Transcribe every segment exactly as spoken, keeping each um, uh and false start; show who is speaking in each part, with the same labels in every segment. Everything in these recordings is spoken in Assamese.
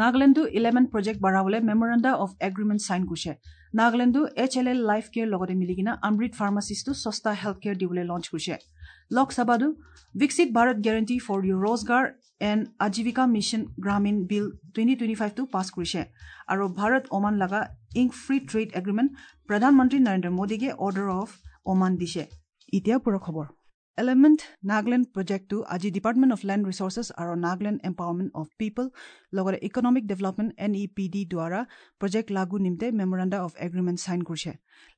Speaker 1: নাগালেণ্ডো ইলেভেন প্ৰজেক্ট বাঢ়াবলৈ মেমৰেণ্ডা অফ এগ্ৰিমেণ্ট চাইন কৰিছে। নাগালেণ্ডো H L L life care লগতে মিলি কিনে অমৃত ফাৰ্মাচিছটো সস্তা হেল্থ কেয়াৰ দিবলৈ লঞ্চ কৰিছে। লোকসভাতো Viksit Bharat Guarantee for Rozgar and Ajeevika Mission Gramin Bill twenty twenty ফাইভটো পাছ কৰিছে আৰু ভাৰত ওমান লগা ইংক ফ্ৰী ট্ৰেড এগ্ৰিমেণ্ট প্ৰধানমন্ত্ৰী নৰেন্দ্ৰ মোদীকে অৰ্ডাৰ অফ ওমান দিছে। এতিয়া পুৰা খবৰ। এলিমেণ্ট নাগালেণ্ড প্ৰজেক্টটো আজি ডিপাৰ্টমেণ্ট অফ লেণ্ড ৰিচৰ্চেছ আৰু নাগালেণ্ড এম্পাৱাৰমেণ্ট অফ পিপল লগতে economic development N E P D দ্বাৰা প্ৰজেক্ট লাগু নিমিত্তে মেমৰেণ্ডা অফ এগ্ৰিমেণ্ট চাইন কৰিছে।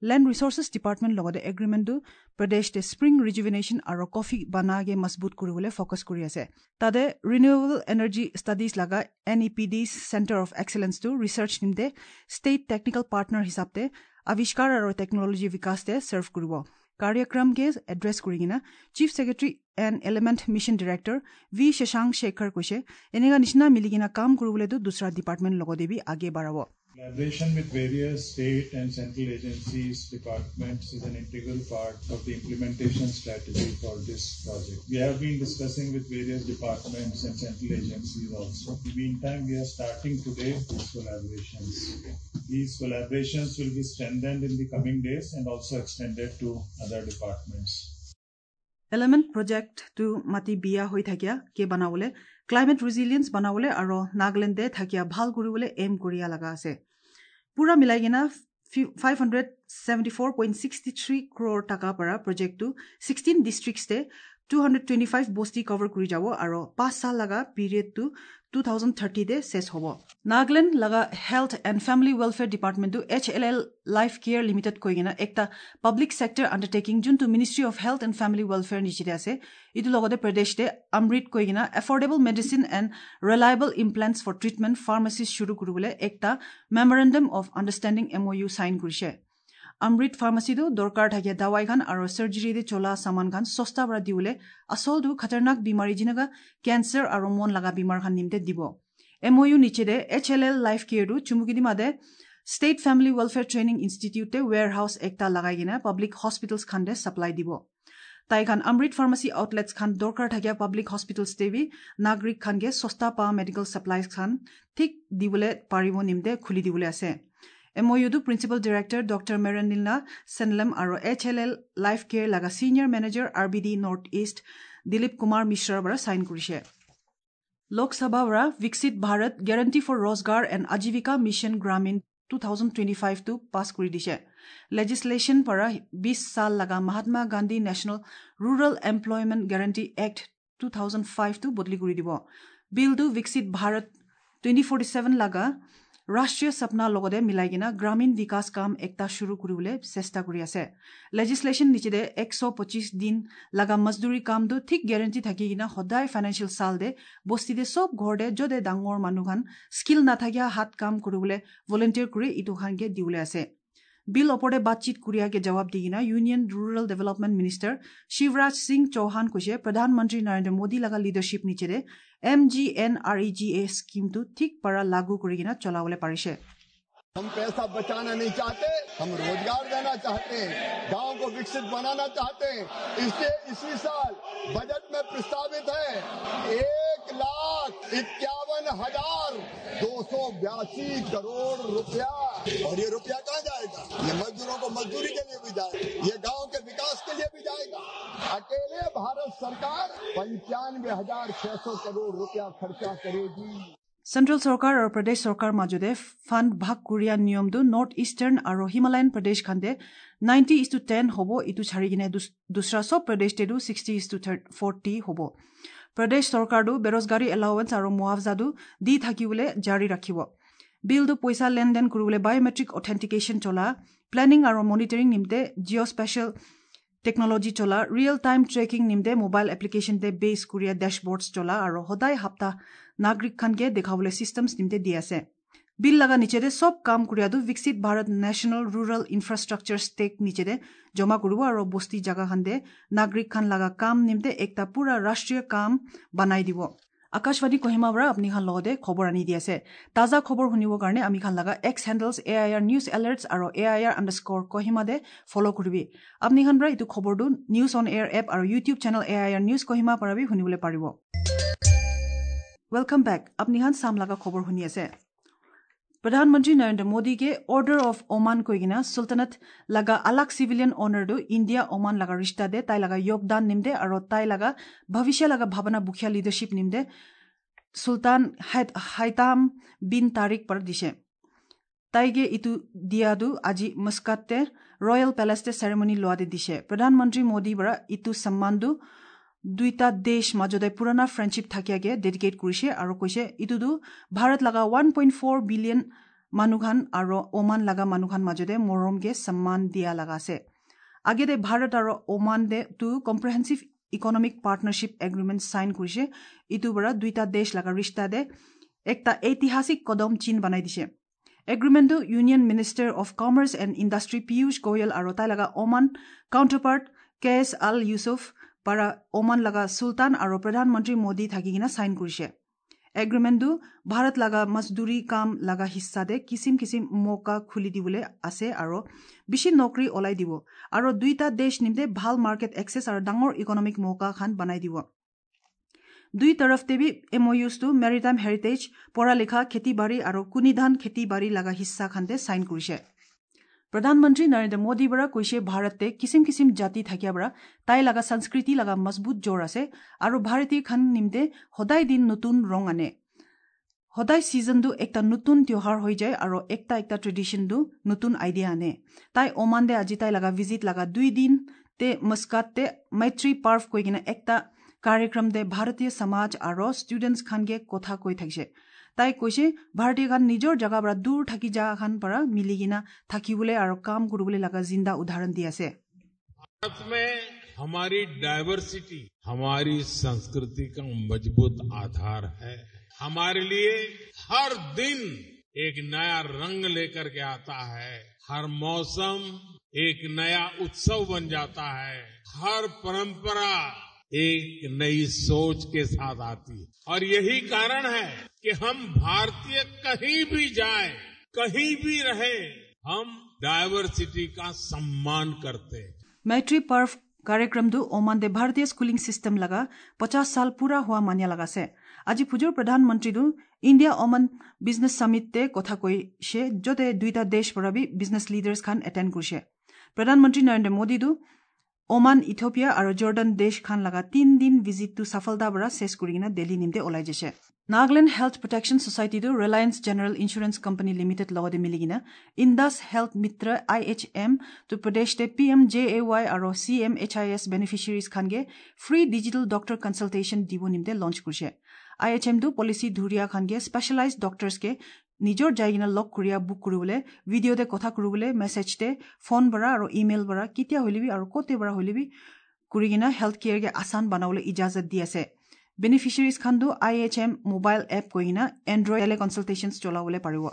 Speaker 1: লেণ্ড ৰিচৰ্চেছ ডিপাৰ্টমেণ্ট লগতে এগ্ৰিমেণ্টটো প্ৰদেশতে স্প্ৰিং ৰিজুভিনেশ্যন আৰু কফি বানাগে মজবুত কৰিবলৈ ফ'কাছ কৰি আছে। তাতে ৰিনিউৱেবল এনাৰ্জি ষ্টাডিজ লগা N E P D centre of এক্সেলেন্সটো research নিমিত্তে ষ্টেট টেকনিকেল পাৰ্টনাৰ হিচাপে আৱিষ্কাৰ আৰু টেকনলজি বিকাশতে ছাৰ্ভ কৰিব। কাৰ্যক্ৰমকে এড্ৰেছ কৰি কিনে Chief Secretary and Element Mission Director V Shashank Shekhar কৈছে, এনেকুৱা নিচিনা মিলি কিনে কাম কৰিবলৈতো দুসৰা ডিপাৰ্টমেণ্ট লগতে বি আগে বাঢ়াব।
Speaker 2: Collaboration with various state and central agencies, departments is an integral part of the implementation strategy for this project. We have been discussing with various departments and central agencies also. In the meantime, we are starting today these collaborations. These collaborations will be strengthened in the coming days and also extended to other departments.
Speaker 1: Element প্ৰজেক্টটো মাটি বিয়া হৈ থাকিয়া কে বনাবলৈ, ক্লাইমেট ৰিজিলিয়েঞ্চ বনাবলৈ আৰু নাগালেণ্ডে থাকিয়া ভাল কৰিবলৈ এম কৰিয়া লগা আছে। পুৰা মিলাই কিনে five hundred seventy four point sixty three crore টকা পৰা প্ৰজেক্টটো ছিক্সটিন ডিষ্ট্ৰিক্টছে টু হাণ্ড্ৰেড টুৱেণ্টি ফাইভ বস্তি কভাৰ কৰি যাব আৰু পাঁচ সাল লগা পিৰিয়ডটো টু থাউজেণ্ড থাৰ্টিতে শেষ হ'ব। নাগালেণ্ড লগা হেল্থ এণ্ড ফেমিলি ৱেলফেয়াৰ ডিপাৰ্টমেণ্টটো H L L life care limited কৈ কিনে একটা পাব্লিক ছেক্টৰ আণ্ডাৰটেকিং, যোনটো Ministry of Health and Family Welfare নিচিতে আছে, এইটো লগতে প্ৰদেশতে অমৃত কৈ কিনে affordable medicine and reliable implants for treatment pharmacy শুৰু কৰিবলৈ একটা memorandum of understanding M O U sign কৰিছে। অমৃত ফাৰ্মাচীটো দৰকাৰ থাকে দাৱাই খান আৰু চাৰ্জাৰীতে চলা চামান খান সস্তা পৰা দিবলৈ, আচলটো খতৰনাক বিমাৰী যেনেকা কেঞ্চাৰ আৰু মন লগা বিমাৰ খান নিমতে দিব। এম অ' ইউ নিচেদে এইচ এল এল লাইফ কেয়াৰটো চুমুকিদিমাদে ষ্টেট ফেমিলি ৱেলফেয়াৰ ট্ৰেইনিং ইনষ্টিটিউটে ৱেৰ হাউচ একটা লগাই কিনে পাব্লিক হস্পিটেলছ খানদে ছাপ্লাই দিব। তাই খান অমৃত ফাৰ্মাচী আউটলেটছ খান দৰকাৰ থাকিয়া পাব্লিক হস্পিটেলছ দেবি নাগৰিক খানকে সস্তা পা মেডিকেল ছাপ্লাইজ খান ঠিক দিবলৈ পাৰিব নিমতে খুলি দিবলৈ আছে। এম অ' ইউটো প্ৰিন্সিপাল ডিৰেক্টৰ ডক্টৰ মেৰেনিলা চেনলেম আৰু H L L life care লগা senior manager R B D North East Dilip Kumar মিশ্ৰৰ পৰা চাইন কৰিছে। লোকসভাৰ পৰা Viksit Bharat Guarantee for Rozgar and Ajeevika Mission Gramin two thousand twenty ফাইভটো পাছ কৰি দিছে। লেজিছলেশ্যন পৰা বিছ সাল লগা Mahatma Gandhi National Rural Employment Guarantee Act two thousand ফাইভটো বদলি কৰি দিব। বিলটো বিকশিত ভাৰত টুৱেণ্টি ফৰ্টি ছেভেন লগা ৰাষ্ট্ৰীয় সপনা লগতে মিলাই কিনে গ্ৰামীণ বিকাশ কাম একটা শুৰু কৰিবলৈ চেষ্টা কৰি আছে। লেজিছলেশ্যন নিচেদে একশ পঁচিছ দিন লগা মজদুৰি কামটো ঠিক গেৰেণ্টি থাকি কিনে সদায় ফাইনেন্সিয়েল চাল দে বস্তিতে চব ঘৰতে য'তে ডাঙৰ মানুহখান স্কিল নাথাকিয়া হাত কাম কৰিবলৈ ভলেণ্টিয়াৰ কৰি ইটো খানকে দিবলৈ আছে। বিল ওপৰতে বাতচিত কৰিয়াকে জবাব দি কিনে Union Rural Development Minister Shivraj Singh Chouhan কৈছে, প্ৰধানমন্ত্ৰী নৰেন্দ্ৰ মোদী লগা লিডাৰশ্বিপ নিচেৰে M G N R E G A স্কিমটো ঠিক পৰা লাগু কৰি কিনে চলাবলৈ পাৰিছে।
Speaker 3: हम पैसा बचाना नहीं चाहते, हम रोजगार देना चाहते हैं, गांव को विकसित बनाना चाहते हैं। इसलिए इसी साल बजट में प्रस्तावित है एक लाख इक्यावन हजार दो सौ बयासी करोड़ रुपया। और ये रुपया कहाँ जाएगा? ये मजदूरों को मजदूरी के लिए भी जाएगा, ये गांव के विकास के लिए भी जाएगा। अकेले भारत सरकार पंचानवे हजार छह सौ करोड़ रुपया खर्चा करेगी।
Speaker 1: চেণ্ট্ৰেল চৰকাৰ আৰু প্ৰদেশ চৰকাৰ মাজতে ফাণ্ড ভাগ কৰিয়া নিয়মটো নৰ্থ ইষ্টাৰ্ণ আৰু হিমালয়ান প্ৰদেশ খানতে নাইণ্টি is two ten হ'ব, ইটো ছাৰি কিনে দুসৰা চব প্ৰদেশতেতো ছিক্সটি is two forty হ'ব। প্ৰদেশ চৰকাৰটো বেৰোজগাৰী এলাৱেঞ্চ আৰু মুৱাফজাটো দি থাকিবলৈ জাৰি ৰাখিব। বিলটো পইচা লেনদেন কৰিবলৈ বায়'মেট্ৰিক অথেণ্টিকেশ্যন চলা, প্লেনিং আৰু মনিটৰিং নিমিত্তে জিঅ' স্পেচিয়েল টেকনলজি চলা, ৰিয়েল টাইম ট্ৰেকিং নিমিত্তে মোবাইল এপ্লিকেশ্যনতে বেছ কৰিয়া ডেছবৰ্ডছ চলা আৰু সদায় সপ্তাহ নাগৰিক খানকে দেখাবলৈ চিষ্টেমছ নিমিত্তে দি আছে। বিল লগা নিচেতে চব কাম কৰিয়াটো Viksit Bharat National Rural Infrastructure stake নিচেতে জমা কৰিব আৰু বস্তি জাগা খানতে নাগৰিক খান লগা কাম নিমিত্তে একটা পুৰা ৰাষ্ট্ৰীয় কাম বনাই দিব। আকাশবাণী কহিমা পৰা আপুনি খান লগতে খবৰ আনি দি আছে। তাজা খবৰ শুনিবৰ কাৰণে আমি খান লগা X handles A I R news alerts আৰু A I R underscore Kohima De follow কৰিবি। আপুনি খান পৰা এইটো খবৰটো নিউজ অন এয়াৰ এপ আৰু YouTube channel A I R news Kohima পৰা বি শুনিবলৈ পাৰিব। Welcome back. আপনি হান সাম লাগা খবৰ শুনি আছে। প্ৰধানমন্ত্ৰী নৰেন্দ্ৰ মোদীকে অৰ্ডাৰ অফ ওমান কৈ কিনা সুলতানত লগা আলাগ চিভিলিয়ান অনাৰটো ইণ্ডিয়া ওমান লগা ৰিষ্টা দে তাই লগা যোগদান নিমদে আৰু তাই লগা ভৱিষ্য লগা ভাৱনা বুখিয়া লিডাৰশ্বিপ নিমদে সুলতান হাইতাম বিন তাৰিক পৰা দিছে। তাইগে ইটো দিয়াদু আজি মস্কাতে ৰয়েল পেলেচতে চেৰেমনি লোৱাতে দিছে। প্ৰধানমন্ত্ৰী মোদী পৰা ইটো সন্মানটো দুইটা দেশ মাজতে পুৰণা ফ্ৰেণ্ডশ্বিপ থাকিয়াকে ডেডিকেট কৰিছে আৰু কৈছে ইটোতো ভাৰত লগা ওৱান পইণ্ট ফ'ৰ বিলিয়ন মানুহখান আৰু ওমান লগা মানুহখান মাজতে মৰমকে সন্মান দিয়া লগা আছে। আগেতে ভাৰত আৰু ওমান দে two comprehensive economic partnership agreement sign কৰিছে। ইটোৰ পৰা দুইটা দেশ লগা ৰিষ্টা দে একটা ঐতিহাসিক কদম চিন বনাই দিছে। এগ্ৰিমেণ্টটো union minister of commerce and industry Piyush Goyal আৰু তাই লগা ওমান কাউণ্টাৰপাৰ্ট কেছ আল ইউচুফ পৰা ওমান লগা চুলতান আৰু প্ৰধানমন্ত্ৰী মোদী থাকি কিনে চাইন কৰিছে। এগ্ৰিমেণ্টটো ভাৰত লগা মজদুৰি কাম লগা হিচ্ছাতে কিচিম কিচিম মৌকা খুলি দিবলৈ আছে আৰু বেছি নকৰি ওলাই দিব আৰু দুইটা দেশ নিমতে ভাল মাৰ্কেট এক্সেছ আৰু ডাঙৰ ইকনমিক মৌকা খান বনাই দিব। দুই তৰফতে বি এম অ' ইউজটো মেৰিটাইম হেৰিটেজ, পঢ়া লিখা, খেতি বাৰী আৰু কুনি ধান খেতি বাৰী লগা হিচ্ছা খানতে চাইন কৰিছে। প্ৰধানমন্ত্ৰী নৰেন্দ্ৰ মোদী পৰা কৈছে ভাৰতে কিচিম কিচিম জাতি থাকিয়া পৰা তাই লগা সংস্কৃতি লগা মজবুত জোৰ আছে আৰু ভাৰতীয় খান নিমতে সদায় দিন নতুন ৰং আনে। সদায় ছিজনটো একটা নতুন त्योहार হৈ যায় আৰু একটা একটা ট্ৰেডিশ্যনটো নতুন আইডিয়া আনে। তাই ওমান দে আজি তাই লগা ভিজিট লগা দুই দিন তে মস্কাতে মৈত্ৰী পাৰ্ভ কৈ কিনে একটা কাৰ্যক্ৰম দে ভাৰতীয় সমাজ আৰু ষ্টুডেণ্টছ খানকে কথা কৈ থাকিছে। তাই কৈছে ভাৰতীয় খান নিজৰ জেগাৰ পৰা দূৰ থাকি যা খান পৰা মিলি কিনা থাকিবলৈ আৰু কাম কৰিবলৈ লগা জিন্দা উদাহৰণ দি আছে।
Speaker 4: भारत में हमारी डाइवर्सिटी हमारी संस्कृति का मजबूत आधार है। हमारे लिए हर दिन एक नया रंग लेकर के आता है, हर मौसम एक नया उत्सव बन जाता है, हर परंपरा एक नई सोच के साथ आती है। और यही कारण है कि हम भारतीय कहीं भी जाए, कहीं भी रहे, हम डाइवर्सिटी का सम्मान करते हैं।
Speaker 1: मैत्री पर्व कार्यक्रमটো ওমান দে ভাৰতীয় স্কুলিং চিষ্টেম লগা পচাছ সাল পুৰা হোৱা মানিয়া লগাছে। আজি পুজোৰ প্ৰধানমন্ত্ৰীটো ইণ্ডিয়া ওমান বিজনেছ ছামিটতে কথা কৈছে, য'তে দুইটা দেশ পৰা বি বিজনেছ লিডাৰ্ছ খান এটেণ্ড কৰিছে। প্ৰধানমন্ত্ৰী নৰেন্দ্ৰ মোদীটো ওমান, ইথিওপিয়া আৰু জৰ্ডান দেশ খান লগা তিন দিন ভিজিটটো সফলতা পৰা শেষ কৰি কিনে দিল্লী নিমতে ওলাই যাইছে। নাগালেণ্ড হেল্থ প্ৰটেকশ্যন ছ'চাইটিটো Reliance general insurance company limited লগতে মিলি কিনে Indus health Mitra I H M টো প্ৰদেশতে P M J A Y আৰু C M H I S beneficiaries খানগে free digital doctor consultation দিব নিমতে লঞ্চ কৰিছে। আই এইচ এমটো পলিচি ধুৰীয়া খানগে স্পেচিয়েলাইজ ডক্টৰ্ছকে নিজৰ যাই কিনে লগ কৰিয়া বুক কৰিবলৈ, ভিডিঅ'তে কথা কৰিবলৈ, মেছেজতে, ফোন পৰা আৰু ইমেইল পৰা কেতিয়া হ'লিবি আৰু ক'তে পৰা হ'লিবি কৰি কিনে হেল্থ কেয়াৰকে আছান বনাবলৈ ইজাজত দি আছে। বেনিফিচিয়াৰিজ খানটো I H M mobile app কৈ কিনে এণ্ড্ৰইড টেলি কনচালটেশ্যনছ চলাবলৈ পাৰিব।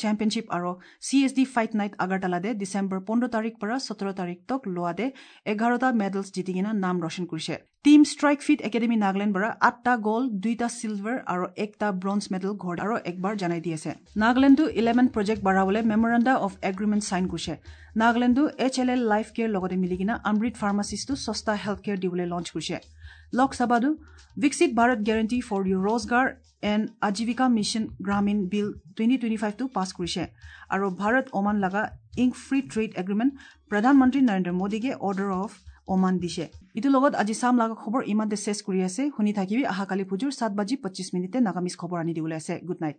Speaker 1: চেম্পিয়নশ্বিপ আৰু C S D fight night আগৰতলাতে December পোন্ধৰ তাৰিখ পৰা সোতৰ তাৰিখ তক লোৱাতে এঘাৰটা মেডেলছ জিতি কিনে নাম ৰোশন কৰিছে। Team strike fit academy Nagaland পৰা আঠটা গ'ল্ড, দুইটা চিলভাৰ আৰু একটা ব্ৰঞ্জ মেডেল ঘৰ আৰু একবাৰ জনাই দি আছে। নাগালেণ্ডটো ইলেভেন প্ৰজেক্ট বঢ়াবলৈ মেমৰেণ্ডা অফ এগ্ৰিমেণ্ট চাইন কৰিছে। নাগালেণ্ডটো H L L life care লগতে মিলি কিনে অমৃত ফাৰ্মাচিছটো সস্তা হেল্থ কেয়াৰ দিবলৈ লঞ্চ কৰিছে। লোকসভাটো Viksit Bharat guarantee for your Rozgar and Ajeevika mission Gramin bill twenty twenty ফাইভটো পাছ কৰিছে আৰু ভাৰত ওমান লগা ইংক ফ্ৰী ট্ৰেড এগ্ৰিমেণ্ট প্ৰধানমন্ত্ৰী নৰেন্দ্ৰ মোদীকে অৰ্ডাৰ অফ ওমান দিছে। ইটোৰ লগত আজি চাম লগা খবৰ ইমানতে শেষ কৰি আছে। শুনি থাকিবি অহাকালি পুজোৰ সাত বাজি পঁচিছ মিনিটে নাগামিজ খবৰ আনি দিবলৈ আছে। Good night.